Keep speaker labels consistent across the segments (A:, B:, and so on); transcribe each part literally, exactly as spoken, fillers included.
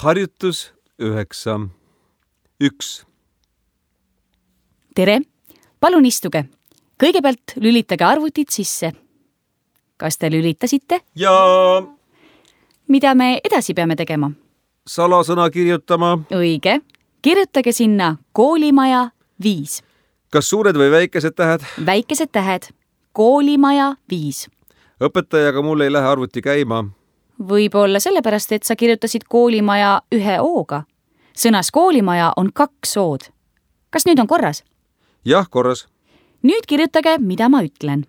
A: Harjutus üheksa. Üks.
B: Tere, palun istuge. Kõigepealt lülitage arvutid sisse. Kas te lülitasite?
A: Ja
B: Mida me edasi peame tegema?
A: salasõna kirjutama.
B: Õige. Kirjutage sinna koolimaja viis.
A: Kas suured või väikesed tähed?
B: Väikesed tähed. Koolimaja viis.
A: Õpetajaga mul ei lähe arvuti käima.
B: Võib-olla sellepärast, et sa kirjutasid koolimaja ühe ooga. Sõnas koolimaja on kaks ood. Kas nüüd on korras?
A: Jah, korras.
B: Nüüd kirjutage, mida ma ütlen.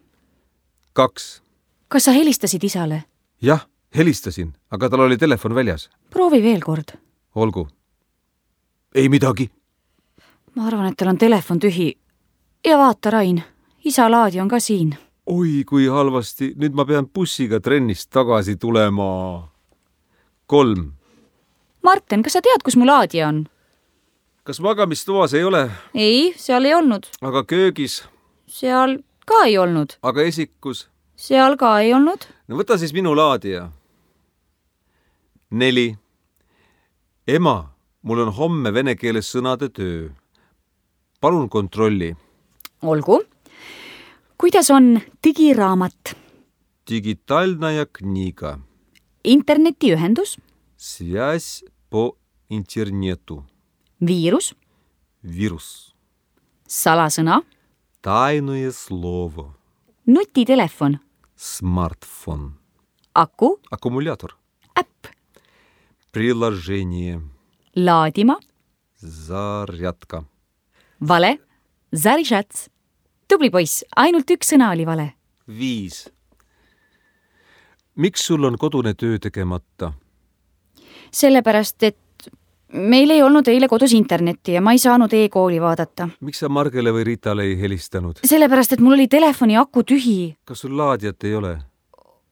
A: Kaks.
B: Kas sa helistasid isale?
A: Jah, helistasin, aga tal oli telefon väljas.
B: Proovi veel kord.
A: Olgu. Ei midagi.
B: Ma arvan, et tal on telefon tühi. Ja vaata, Rain, isa laadi on ka siin.
A: Oi, kui halvasti. Nüüd ma pean bussiga trennist tagasi tulema. Kolm.
B: Marten, kas sa tead, kus mu laadija on?
A: Kas magamistoas ei ole?
B: Ei, seal ei olnud.
A: Aga köögis?
B: Seal ka ei olnud.
A: Aga esikus?
B: Seal ka ei olnud.
A: No võta siis minu laadija. Neli. Ema, mul on homme vene keeles sõnade töö. Palun kontrolli.
B: Olgu. Kuidas on digiraamat?
A: Digitaalnaja kniga.
B: Internetiühendus?
A: Связь по интернету.
B: Viirus?
A: Вирус.
B: Salasõna?
A: Тайное слово.
B: Nutitelefon?
A: Смартфон.
B: Aku?
A: Аккумулятор.
B: Äpp?
A: Приложение.
B: Laadima?
A: Зарядка.
B: Vale? Zarisats? Tubli poiss, ainult üks sõna oli vale.
A: Viis. Miks sul on kodune töö tegemata?
B: Sellepärast, et meil ei olnud eile kodus internetti ja ma ei saanud e-kooli vaadata.
A: Miks sa Margele või Ritale ei helistanud?
B: Sellepärast, et mul oli telefoni aku tühi.
A: Kas sul laadijat ei ole?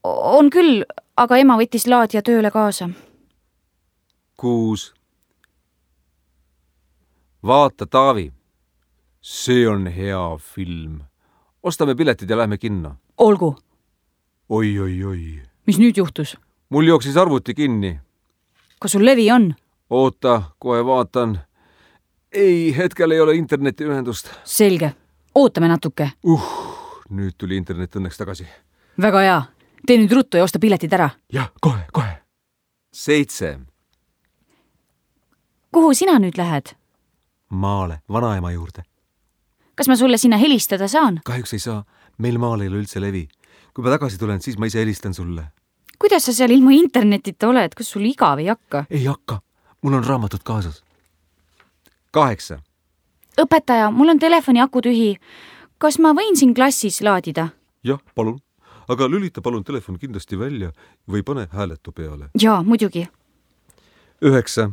B: On küll, aga ema võttis laadija tööle kaasa.
A: Kuus. Vaata, Taavi. See on hea film. Ostame piletid ja lähme kinno.
B: Olgu.
A: Oi, oi, oi.
B: Mis nüüd juhtus?
A: Mul jooksis arvuti kinni.
B: Kas sul levi on?
A: Oota, kohe vaatan. Ei, hetkel ei ole internetiühendust.
B: Selge. Ootame natuke.
A: Uh, nüüd tuli internet õnneks tagasi.
B: Väga hea. Tee nüüd ruttu ja osta piletid ära.
A: Jah, kohe, kohe. Seitse.
B: Kuhu sina nüüd lähed?
A: Maale, vanaema juurde.
B: Kas ma sulle sinna helistada saan?
A: Kahjuks ei saa. Meil maal ei ole üldse levi. Kui ma tagasi tulen, siis ma ise helistan sulle.
B: Kuidas sa seal ilma internetita oled? Kas sul igav ei hakka?
A: Ei hakka. Mul on raamatud kaasas. Kaheksa.
B: Õpetaja, mul on telefoni aku tühi. Kas ma võin siin klassis laadida?
A: Jah, palun. Aga lülita palun telefon kindlasti välja või pane hääletu peale.
B: Jaa, muidugi.
A: Üheksa.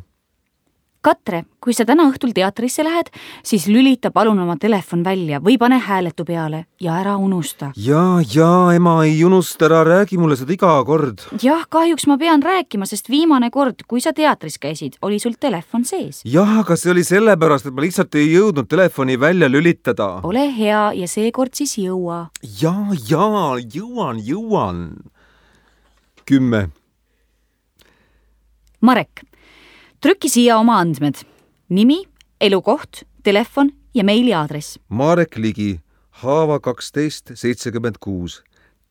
B: Katre, kui sa täna õhtul teatrisse lähed, siis lülita palun oma telefon välja või pane hääletu peale ja ära unusta.
A: Jaa, jaa, ema ei unusta, ära räägi mulle seda iga kord.
B: Jah, kahjuks ma pean rääkima, sest viimane kord, kui sa teatris käisid, oli sul telefon sees.
A: Jah, aga see oli sellepärast, et ma lihtsalt ei jõudnud telefoni välja lülitada.
B: Ole hea ja seekord siis jõua.
A: Jaa, jaa, jõuan, jõuan. Kümme.
B: Marek. Trüki siia oma andmed. Nimi, elukoht, telefon ja meiliaadress.
A: Marek Ligi, Haava kaksteist seitsekümmend kuus.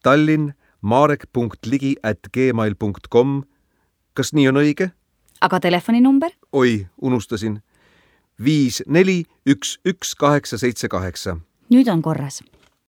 A: Tallinn, marek.ligi at gmail punkt com. Kas nii on õige?
B: Aga telefoninumber?
A: Oi, unustasin. Viis, neli, üks, üks, kaheksa, seitse, kaheksa.
B: Nüüd on korras.